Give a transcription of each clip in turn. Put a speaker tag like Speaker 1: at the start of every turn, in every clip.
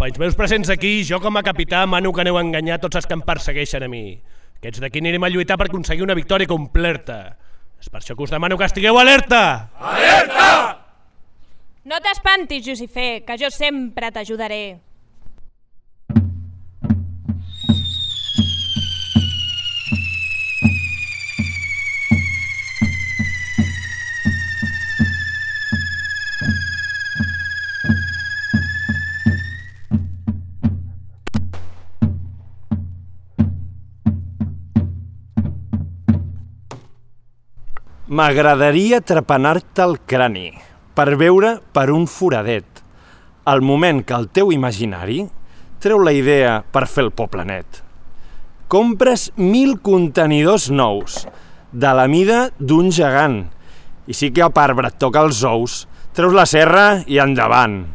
Speaker 1: companys meus presents aquí, jo com a capità mano que aneu a enganyar tots els que em persegueixen a mi. Aquests d'aquí anirem a lluitar per aconseguir una victòria completa. És per això que us demano que estigueu alerta!
Speaker 2: Alerta!
Speaker 3: No t'espantis, Jucifer, que jo sempre t'ajudaré.
Speaker 4: M'agradaria trepanar-te el crani per veure per un foradet el moment que el teu imaginari treu la idea per fer el poble net. Compres 1000 contenidors nous de la mida d'un gegant i sí que a part et toca els ous, treus la serra i endavant.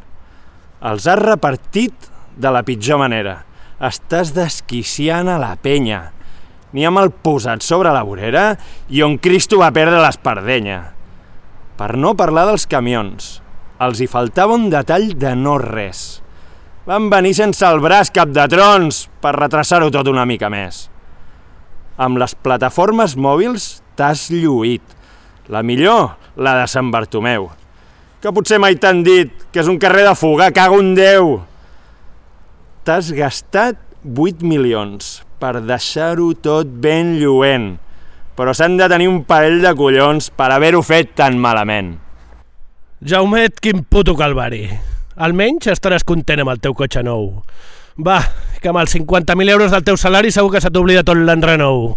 Speaker 4: Els has repartit de la pitjor manera. Estàs desquiciant a la penya. N'hi ha mal posat sobre la vorera i on Cristo va perdre l'espardenya. Per no parlar dels camions. Els hi faltava un detall de no res. Van venir sense el braç cap de trons per retrasar-ho tot una mica més. Amb les plataformes mòbils t'has lluït. La millor, la de Sant Bartomeu. Que potser mai t'han dit que és un carrer de fuga, cago en Déu. T'has gastat 8 milions per deixar-ho tot ben lluent, però s'han de tenir un parell de collons per haver-ho fet tan malament.
Speaker 1: Jaumet, quin puto calvari. Almenys estaràs content amb el teu cotxe nou. Va, que amb els 50.000 euros del teu salari segur que se t'oblida tot l'enrenou.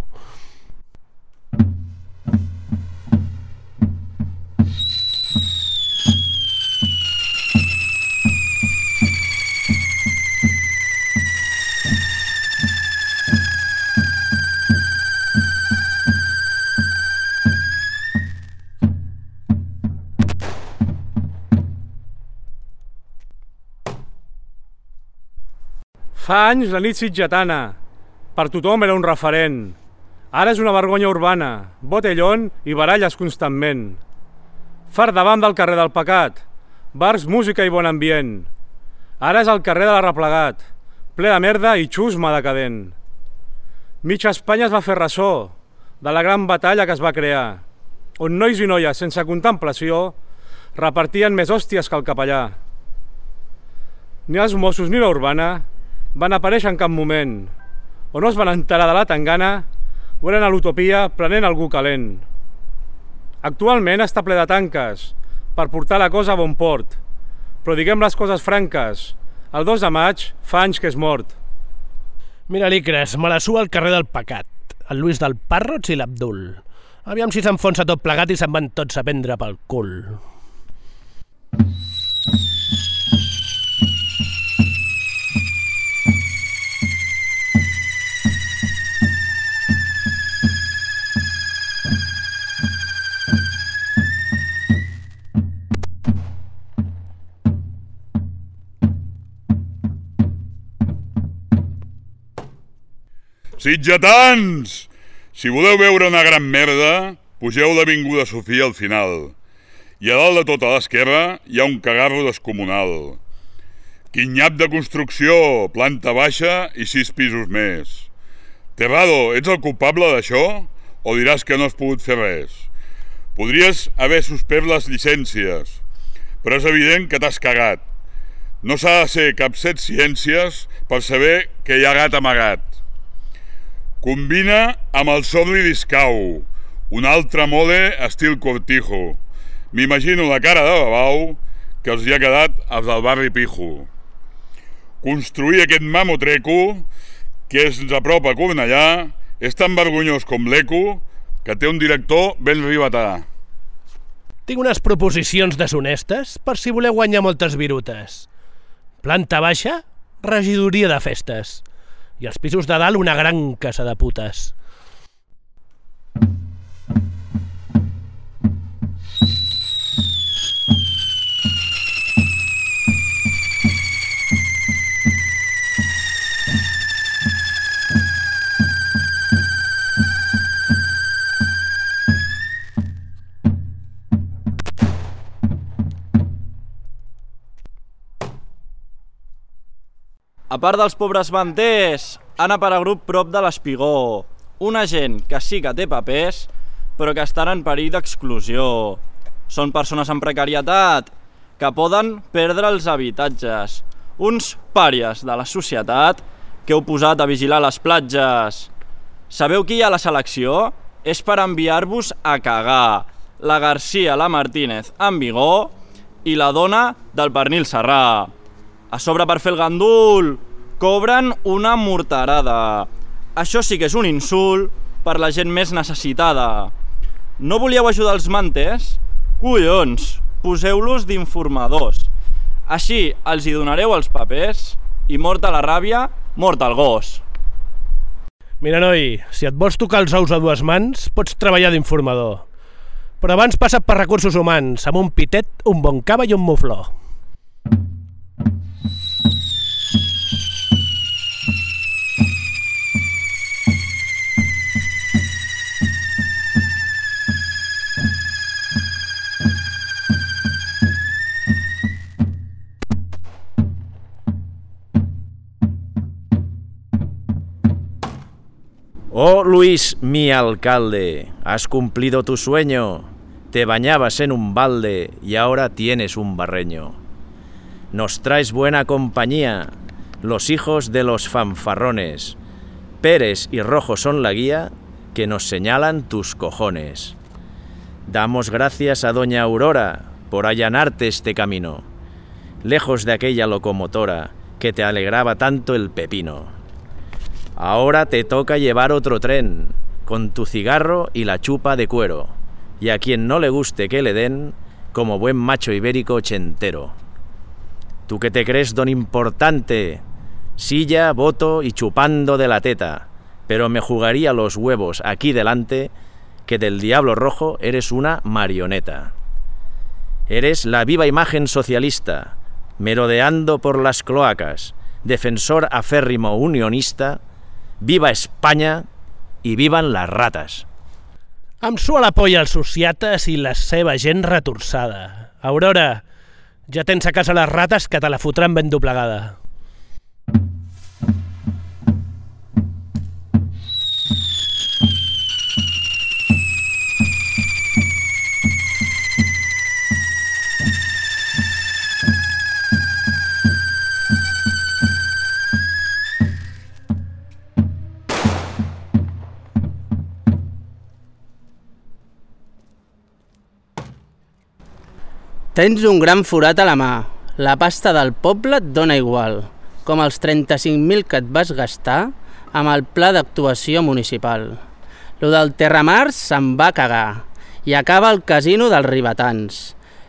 Speaker 5: Fa anys la nit sitgetana, per tothom era un referent. Ara és una vergonya urbana, botellón i baralles constantment. Fart davant del carrer del pecat, bars, música i bon ambient. Ara és el carrer de l'Arreplegat, ple de merda i xusma decadent. Mitja Espanya es va fer ressò de la gran batalla que es va crear, on nois i noies sense contemplació repartien més hòsties que el capellà. Ni els Mossos ni la urbana van aparèixer en cap moment, o no es van enterar de la tangana o eren a l'utopia prenent algú calent. Actualment està ple de tanques per portar la cosa a bon port, però diguem les coses franques, el 2 de maig fa anys que és mort.
Speaker 1: Mira l'Icres, me la sua al carrer del Pecat, el Lluís del Parrots i l'Abdul. Aviam si s'enfonsa tot plegat i se'n van tots a prendre pel cul.
Speaker 2: Sitgetans! Si voleu veure una gran merda, pugeu l'avinguda Sofia al final. I a dalt de tota l'esquerra hi ha un cagarro descomunal. Quin nyap de construcció, planta baixa i 6 pisos més. Terrado, ets el culpable d'això? O diràs que no has pogut fer res? Podries haver suspès les llicències, però és evident que t'has cagat. No s'ha de ser cap set ciències per saber que hi ha gat amagat. Combina amb el Sorli Discau, un altre mode estil Cortijo. M'imagino la cara de babau que els hi ha quedat als del barri Pijo. Construir aquest mamotreco, que ens apropa a Cornellà, és tan vergonyós com l'Eco, que té un director ben ribetà.
Speaker 1: Tinc unes proposicions deshonestes per si voleu guanyar moltes virutes. Planta baixa, regidoria de festes. I els pisos de dalt una gran casa de putes.
Speaker 6: part dels pobres manters, han aparegut prop de l'Espigó una gent que sí que té papers, però que estan en perill d'exclusió. Són persones en precarietat que poden perdre els habitatges. Uns pàries de la societat que heu posat a vigilar les platges. Sabeu qui hi ha a la selecció? És per enviar-vos a cagar. La García, la Martínez en Vigó i la dona del pernil serrà. A sobre, per fer el gandul, cobren una morterada. Això sí que és un insult per la gent més necessitada. No volíeu ajudar els manters? Collons, poseu-los d'informadors. Així els hi donareu els papers i morta la ràbia, mort el gos.
Speaker 1: Mira, noi, si et vols tocar els ous a dues mans, pots treballar d'informador. Però abans passa't per recursos humans, amb un pitet, un bon cava i un mufló.
Speaker 7: Oh Luis, mi alcalde, has cumplido tu sueño. Te bañabas en un balde y ahora tienes un barreño. Nos traes buena compañía, los hijos de los fanfarrones. Pérez y Rojo son la guía que nos señalan tus cojones. Damos gracias a doña Aurora por allanarte este camino, lejos de aquella locomotora que te alegraba tanto el pepino. Ahora te toca llevar otro tren, con tu cigarro y la chupa de cuero, y a quien no le guste que le den, como buen macho ibérico ochentero. Tú que te crees don importante, silla, voto y chupando de la teta, pero me jugaría los huevos aquí delante, que del diablo rojo eres una marioneta. Eres la viva imagen socialista, merodeando por las cloacas, defensor aférrimo unionista. Viva Espanya i vivan les rates.
Speaker 1: Em sua la polla els sociates i la seva gent retorçada. Aurora, ja tens a casa les rates que te la fotran ben doblegada.
Speaker 8: Tens un gran forat a la mà. La pasta del poble et dona igual, com els 35.000 que et vas gastar amb el pla d'actuació municipal. Lo del Terramars se'n va cagar i acaba el casino dels ribetans.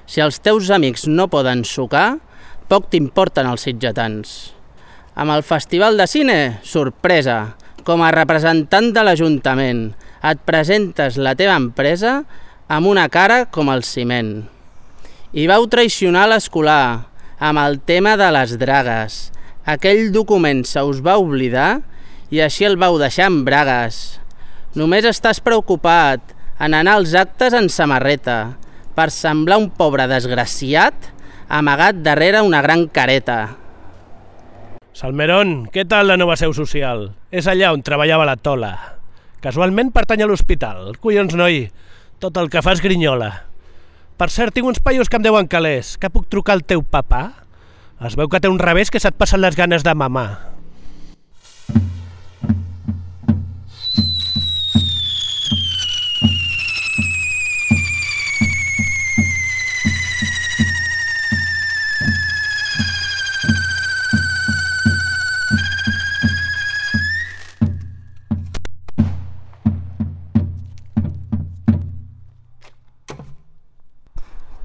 Speaker 8: Si els teus amics no poden sucar, poc t'importen els sitgetans. Amb el Festival de Cine, sorpresa, com a representant de l'Ajuntament, et presentes la teva empresa amb una cara com el ciment. I vau traicionar l'escolar amb el tema de les dragues. Aquell document se us va oblidar i així el vau deixar en bragues. Només estàs preocupat en anar als actes en samarreta per semblar un pobre desgraciat amagat darrere una gran careta.
Speaker 1: Salmerón, què tal la nova seu social? És allà on treballava la Tola. Casualment pertany a l'hospital. Collons, noi, tot el que fa és grinyola. Per cert, tinc uns paios que em deuen calés. Que puc trucar al teu papà? Es veu que té un revés que se't passen les ganes de mamar.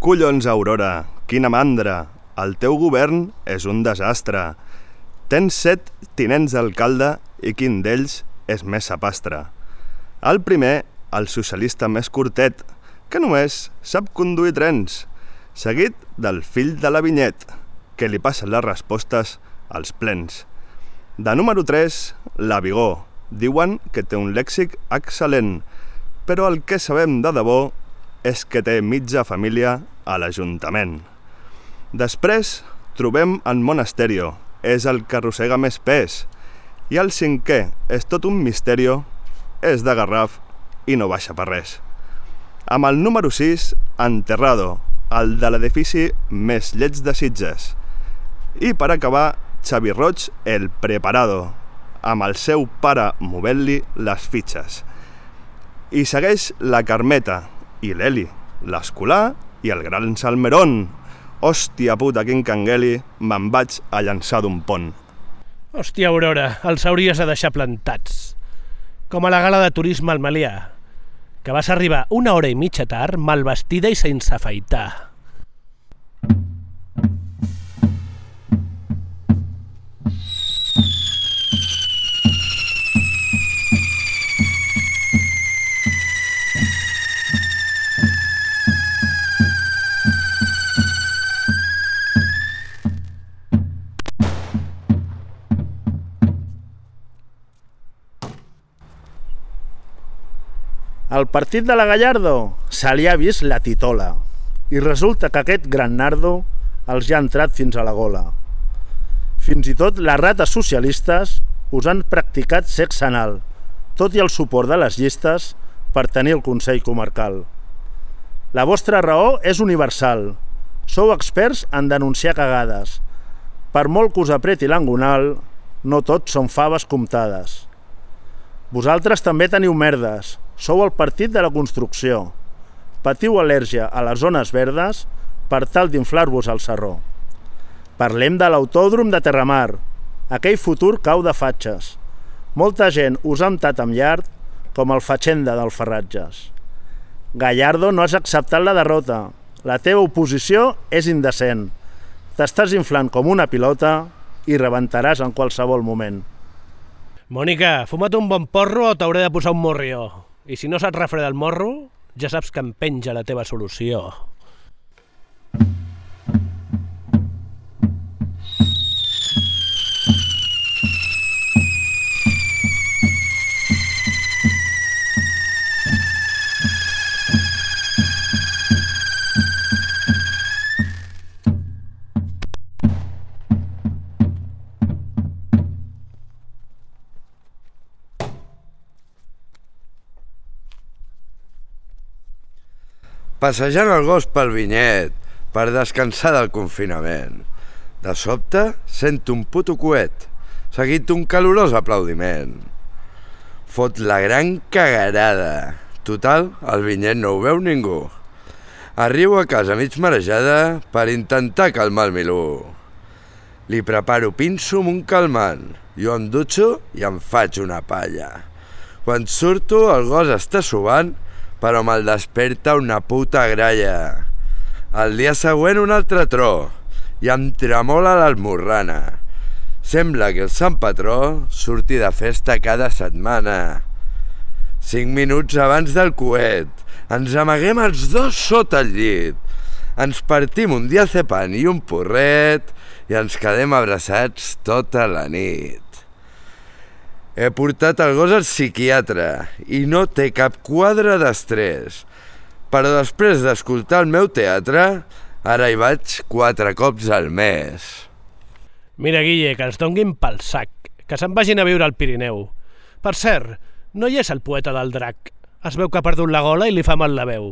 Speaker 9: Collons, Aurora, quina mandra! El teu govern és un desastre. Tens 7 tinents d'alcalde i quin d'ells és més sapastre. El primer, el socialista més curtet, que només sap conduir trens, seguit del fill de la Vinyet, que li passen les respostes als plens. De número 3, la Vigó. Diuen que té un lèxic excel·lent, però el que sabem de debò és que té mitja família a l'Ajuntament. Després trobem en Monasterio, és el que arrossega més pes. I el cinquè és tot un misteri, és de Garraf i no baixa per res. Amb el número 6, Enterrado, el de l'edifici més lleig de Sitges. I per acabar, Xavi Roig, el Preparado, amb el seu pare movent-li les fitxes. I segueix la Carmeta i l'Eli, l'Escolar i el Gran Salmerón. Hòstia puta, quin cangueli, me'n vaig a llançar d'un pont.
Speaker 1: Hòstia, Aurora, els hauries de deixar plantats. Com a la gala de turisme al Melià, que vas arribar 1 hora i mitja tard, mal vestida i sense afaitar.
Speaker 7: Al partit de la Gallardo se li ha vist la titola i resulta que aquest gran nardo els ja ha entrat fins a la gola. Fins i tot les rates socialistes us han practicat sexe anal, tot i el suport de les llistes per tenir el Consell Comarcal. La vostra raó és universal. Sou experts en denunciar cagades. Per molt que us apreti l'angonal, no tot són faves comptades. Vosaltres també teniu merdes. Sou el partit de la construcció. Patiu al·lèrgia a les zones verdes per tal d'inflar-vos al sarró. Parlem de l'autòdrom de Terramar. Aquell futur cau de fatxes. Molta gent us ha emptat amb llard com el Fatxenda del Ferratges. Gallardo, no has acceptat la derrota. La teva oposició és indecent. T'estàs inflant com una pilota i rebentaràs en qualsevol moment.
Speaker 1: Mònica, fuma't un bon porro o t'hauré de posar un morrió. I si no se't refreda el morro, ja saps que em penja la teva solució.
Speaker 10: Passejant el gos pel vinyet per descansar del confinament. De sobte sento un puto coet, seguit d'un calorós aplaudiment. Fot la gran cagarada. Total, el vinyet no ho veu ningú. Arribo a casa mig marejada per intentar calmar el milú. Li preparo pinso amb un calmant, jo em dutxo i em faig una palla. Quan surto el gos està subant, però me'l desperta una puta gralla. El dia següent un altre tro i em tremola l'esmorrana. Sembla que el Sant Patró surti de festa cada setmana. 5 minuts abans del coet, ens amaguem els dos sota el llit. Ens partim un diazepam i un porret i ens quedem abraçats tota la nit. He portat el gos al psiquiatre i no té cap quadre d'estrès. Però després d'escoltar el meu teatre, ara hi vaig 4 cops al mes.
Speaker 1: Mira, Guille, que els donguin pel sac, que se'n vagin a viure al Pirineu. Per cert, no hi és el poeta del drac. Es veu que ha perdut la gola i li fa mal la veu.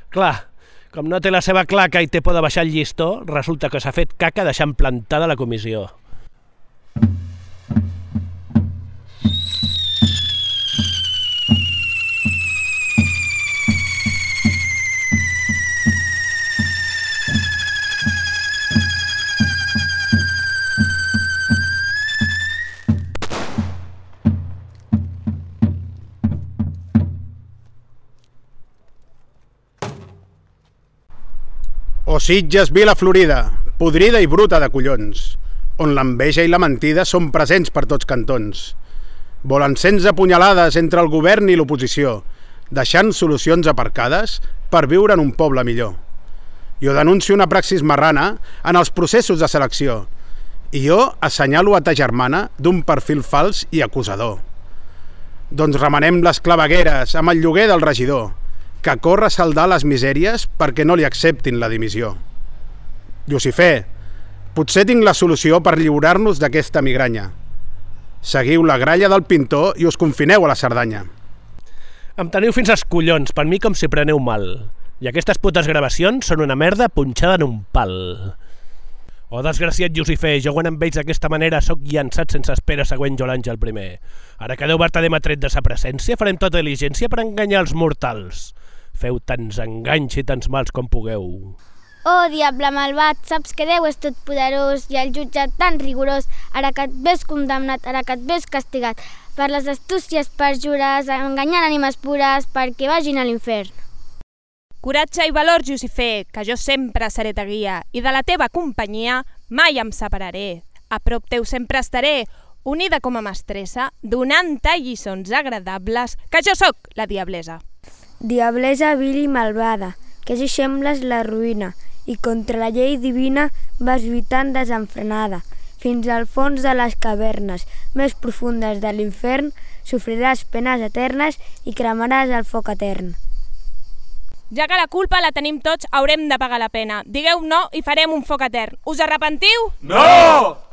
Speaker 1: Clar, com no té la seva claca i té por de baixar el llistó, resulta que s'ha fet caca deixant plantada la comissió.
Speaker 11: O Sitges, Vila Florida, podrida i bruta de collons, on l'enveja i la mentida són presents per tots cantons. Volen 16 punyalades entre el govern i l'oposició, deixant solucions aparcades per viure en un poble millor. Jo denuncio una praxis marrana en els processos de selecció i jo assenyalo a ta germana d'un perfil fals i acusador. Doncs remenem les clavegueres amb el lloguer del regidor, que corre a saldar les misèries perquè no li acceptin la dimissió. Llucifer, Potser tinc la solució per lliurar-nos d'aquesta migranya. Seguiu la gralla del pintor i us confineu a la Cerdanya.
Speaker 1: Em teniu fins als collons, per mi com si preneu mal. I aquestes putes gravacions són una merda punxada en un pal. Oh, desgraciat Llucifer, jo quan em veig d'aquesta manera sóc llançat sense espera següent jo l'Àngel primer. Ara que Déu Vertader m'ha tret de sa presència, farem tota diligència per enganyar els mortals. Feu tants enganys i tants mals com pugueu.
Speaker 12: Oh, diable malvat, saps que Déu és tot poderós i el jutjat tan rigorós, ara que et ves condemnat, ara que et ves castigat, per les astúcies perjures, enganyant ànimes pures perquè vagin a l'infern.
Speaker 3: Coratge i valor, Llucifer, que jo sempre seré ta guia, i de la teva companyia mai em separaré. A prop teu sempre estaré, unida com a mestressa, donant-te lliçons agradables, que jo sóc la diablesa.
Speaker 13: Diablesa vil i malvada, que si sembles la ruïna, i contra la llei divina vas lluitant desenfrenada. Fins al fons de les cavernes més profundes de l'infern sofriràs penes eternes i cremaràs el foc etern.
Speaker 3: Ja que la culpa la tenim tots, haurem de pagar la pena. Digueu no i farem un foc etern. Us arrepentiu?
Speaker 5: No!